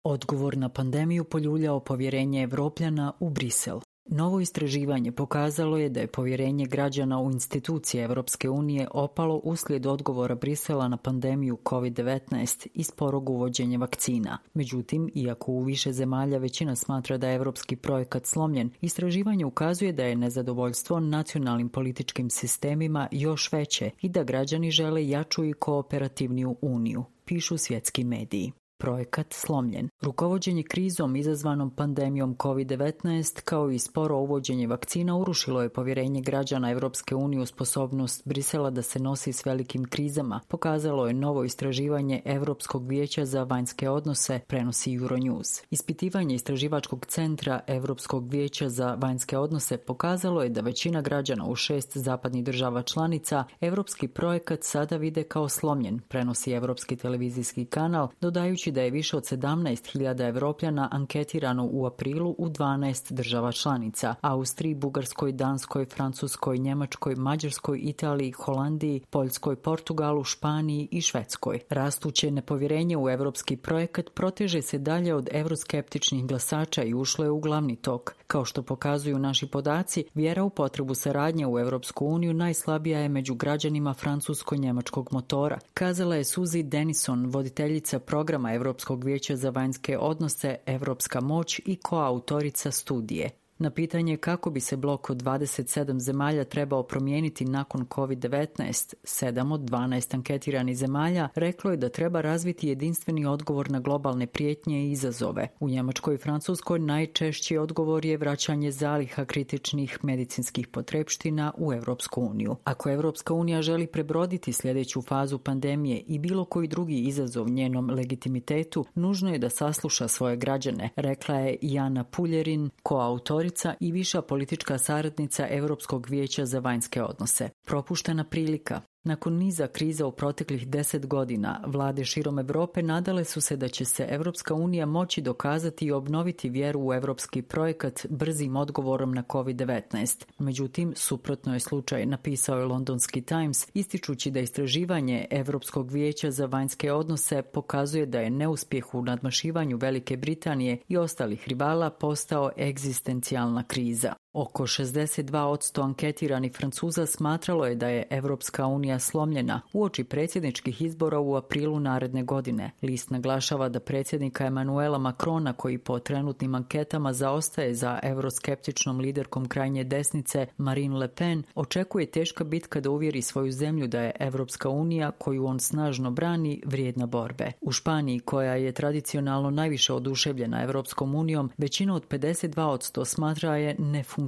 Odgovor na pandemiju poljuljao povjerenje Evropljana u Brisel. Novo istraživanje pokazalo je da je povjerenje građana u institucije Evropske unije opalo uslijed odgovora Brisela na pandemiju COVID-19 i sporog uvođenja vakcina. Međutim, iako u više zemalja većina smatra da je evropski projekat slomljen, istraživanje ukazuje da je nezadovoljstvo nacionalnim političkim sistemima još veće i da građani žele jaču i kooperativniju uniju, pišu svjetski mediji. Projekat slomljen. Rukovođenje krizom izazvanom pandemijom COVID-19 kao i sporo uvođenje vakcina urušilo je povjerenje građana Evropske unije u sposobnost Brisela da se nosi s velikim krizama, pokazalo je novo istraživanje Europskog vijeća za vanjske odnose, prenosi Euronews. Ispitivanje istraživačkog centra Europskog vijeća za vanjske odnose pokazalo je da većina građana u 6 zapadnih država članica evropski projekat sada vide kao slomljen, prenosi Europski televizijski kanal, dodajući da je više od 17.000 Evropljana anketirano u aprilu u 12 država članica: Austriji, Bugarskoj, Danskoj, Francuskoj, Njemačkoj, Mađarskoj, Italiji, Holandiji, Poljskoj, Portugalu, Španiji i Švedskoj. Rastuće nepovjerenje u evropski projekat proteže se dalje od evroskeptičnih glasača i ušlo je u glavni tok. Kao što pokazuju naši podaci, vjera u potrebu saradnje u Evropsku uniju najslabija je među građanima francusko-njemačkog motora, kazala je Suzy Denison, voditeljica programa Europskog vijeća za vanjske odnose Evropska moć i koautorica studije. Na pitanje kako bi se blok od 27 zemalja trebao promijeniti nakon COVID-19, 7 od 12 anketiranih zemalja reklo je da treba razviti jedinstveni odgovor na globalne prijetnje i izazove. U Njemačkoj i Francuskoj najčešći odgovor je vraćanje zaliha kritičnih medicinskih potrepština u Europsku uniju. Ako Europska unija želi prebroditi sljedeću fazu pandemije i bilo koji drugi izazov njenom legitimitetu, nužno je da sasluša svoje građane, rekla je Jana Puljerin, koautorica i viša politička saradnica Europskog vijeća za vanjske odnose. Propuštena prilika. Nakon niza kriza u proteklih 10 godina, vlade širom Europe nadale su se da će se Europska unija moći dokazati i obnoviti vjeru u europski projekat brzim odgovorom na COVID-19. Međutim, suprotno je slučaj, napisao je Londonski Times, ističući da istraživanje Europskog vijeća za vanjske odnose pokazuje da je neuspjeh u nadmašivanju Velike Britanije i ostalih rivala postao egzistencijalna kriza. Oko 62% anketiranih Francuza smatralo je da je Evropska unija slomljena uoči predsjedničkih izbora u aprilu naredne godine. List naglašava da predsjednika Emmanuela Macrona, koji po trenutnim anketama zaostaje za euroskeptičnom liderkom krajnje desnice Marine Le Pen, očekuje teška bitka da uvjeri svoju zemlju da je Evropska unija, koju on snažno brani, vrijedna borbe. U Španiji, koja je tradicionalno najviše oduševljena Evropskom unijom, većina od 52% smatra je nefunkcionalnom.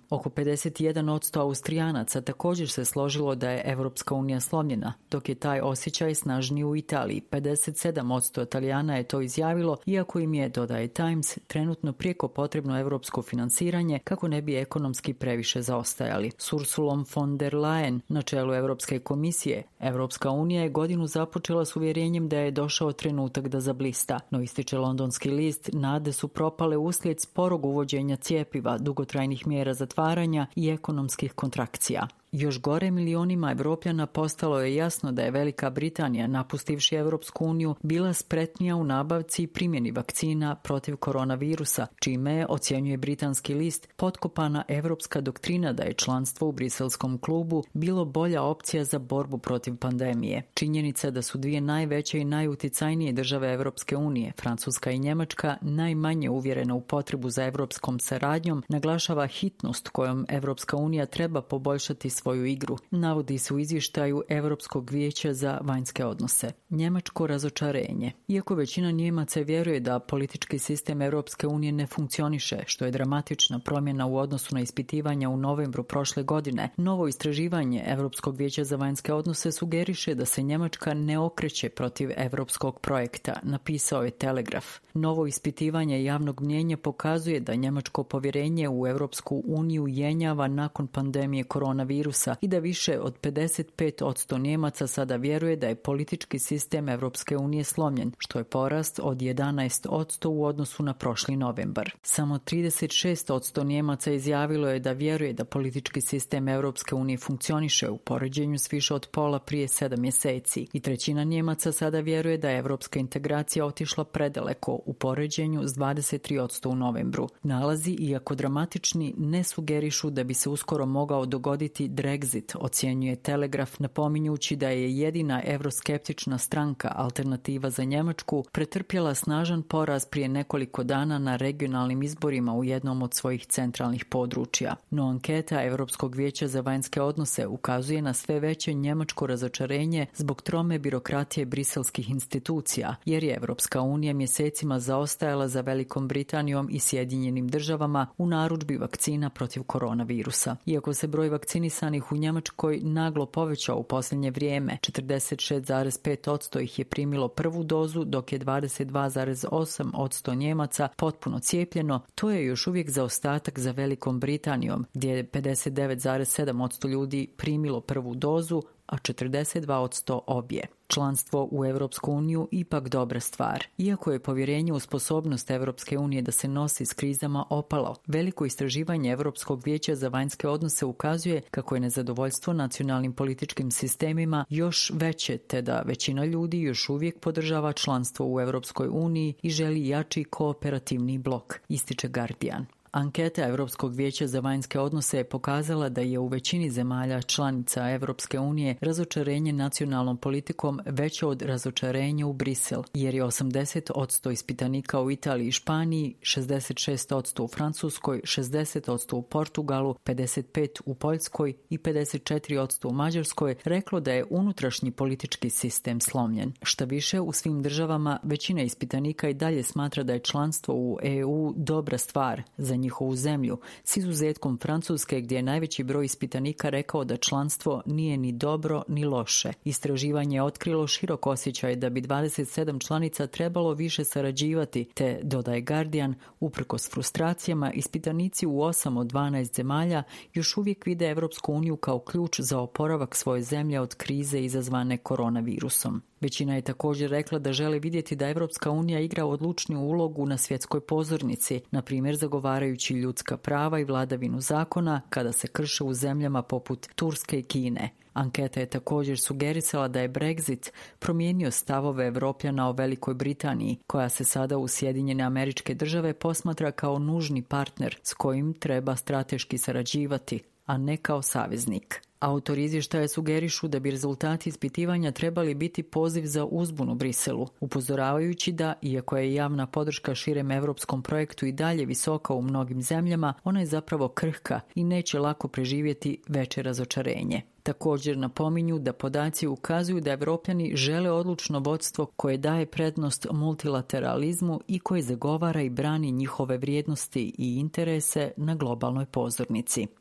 Oko 51% Austrijanaca također se složilo da je Evropska unija slomljena, dok je taj osjećaj snažniji u Italiji. 57% Italijana je to izjavilo, iako im je, dodaje Times, trenutno prijeko potrebno europsko financiranje kako ne bi ekonomski previše zaostajali. S Ursulom von der Leyen na čelu Europske komisije, Evropska unija je godinu započela s uvjerenjem da je došao trenutak da zablista, no ističe londonski list, nade su propale uslijed sporog uvođenja cjepiva, dugotrajnih mjera zatvaranja i ekonomskih kontrakcija. Još gore, milionima Evropljana postalo je jasno da je Velika Britanija, napustivši Europsku uniju, bila spretnija u nabavci i primjeni vakcina protiv koronavirusa, čime je, ocjenjuje britanski list, potkopana evropska doktrina da je članstvo u briselskom klubu bilo bolja opcija za borbu protiv pandemije. Činjenica da su dvije najveće i najuticajnije države Europske unije, Francuska i Njemačka, najmanje uvjerene u potrebu za europskom saradnjom, naglašava hitnost kojom Europska unija treba poboljšati svoju igru, navodi se u izvještaju Europskog vijeća za vanjske odnose. Njemačko razočarenje. Iako većina Njemaca vjeruje da politički sistem Europske unije ne funkcioniše, što je dramatična promjena u odnosu na ispitivanja u novembru prošle godine, novo istraživanje Europskog vijeća za vanjske odnose sugeriše da se Njemačka ne okreće protiv europskog projekta, napisao je Telegraf. Novo ispitivanje javnog mnijenja pokazuje da njemačko povjerenje u Europsku uniju jenjava nakon pandemije koronavirusa koronavirusa i da više od 55% Njemaca sada vjeruje da je politički sistem Evropske unije slomljen, što je porast od 11% u odnosu na prošli novembar. Samo 36% Njemaca izjavilo je da vjeruje da politički sistem Evropske unije funkcioniše u poređenju s više od pola prije 7 mjeseci i trećina Njemaca sada vjeruje da je evropska integracija otišla predaleko u poređenju s 23% u novembru. Nalazi, iako dramatični, ne sugerišu da bi se uskoro mogao dogoditi Brexit, ocjenjuje Telegraf, napominjući da je jedina evroskeptična stranka Alternativa za Njemačku pretrpjela snažan poraz prije nekoliko dana na regionalnim izborima u jednom od svojih centralnih područja. No anketa Europskog vijeća za vanjske odnose ukazuje na sve veće njemačko razočarenje zbog trome birokratije briselskih institucija, jer je Evropska unija mjesecima zaostajala za Velikom Britanijom i Sjedinjenim državama u narudžbi vakcina protiv koronavirusa. Iako se broj vakcinisanih u Njemačkoj naglo povećao u posljednje vrijeme, 46,5% ih je primilo prvu dozu, dok je 22,8% Njemaca potpuno cijepljeno, to je još uvijek zaostatak za Velikom Britanijom, gdje je 59,7% ljudi primilo prvu dozu, a 42% obje. Članstvo u Europsku uniju ipak dobra stvar. Iako je povjerenje u sposobnost Europske unije da se nosi s krizama opalo, veliko istraživanje Europskog vijeća za vanjske odnose ukazuje kako je nezadovoljstvo nacionalnim političkim sistemima još veće, te da većina ljudi još uvijek podržava članstvo u Europskoj uniji i želi jači kooperativni blok, ističe Guardian. Anketa Europskog vijeća za vanjske odnose je pokazala da je u većini zemalja članica Europske unije razočarenje nacionalnom politikom veće od razočarenja u Brisel, jer je 80% ispitanika u Italiji i Španiji, 66% u Francuskoj, 60% u Portugalu, 55% u Poljskoj i 54% u Mađarskoj reklo da je unutrašnji politički sistem slomljen. Šta više, u svim državama većina ispitanika i dalje smatra da je članstvo u EU dobra stvar za njihovu zemlju, s izuzetkom Francuske gdje je najveći broj ispitanika rekao da članstvo nije ni dobro ni loše. Istraživanje je otkrilo širok osjećaj da bi 27 članica trebalo više sarađivati, te, dodaje Guardian, uprkos frustracijama, ispitanici u 8 od 12 zemalja još uvijek vide Evropsku uniju kao ključ za oporavak svoje zemlje od krize izazvane koronavirusom. Većina je također rekla da žele vidjeti da Evropska unija igra odlučniju ulogu na svjetskoj pozornici, na primjer zagovarajući ljudska prava i vladavinu zakona kada se krše u zemljama poput Turske i Kine. Anketa je također sugerisala da je Brexit promijenio stavove Evropljana o Velikoj Britaniji, koja se sada u Sjedinjene Američke Države posmatra kao nužni partner s kojim treba strateški sarađivati, a ne kao saveznik. Autori izvještaja sugerišu da bi rezultati ispitivanja trebali biti poziv za uzbunu Briselu, upozoravajući da, iako je javna podrška širem europskom projektu i dalje visoka u mnogim zemljama, ona je zapravo krhka i neće lako preživjeti veće razočarenje. Također napominju da podaci ukazuju da Evropljani žele odlučno vodstvo koje daje prednost multilateralizmu i koje zagovara i brani njihove vrijednosti i interese na globalnoj pozornici.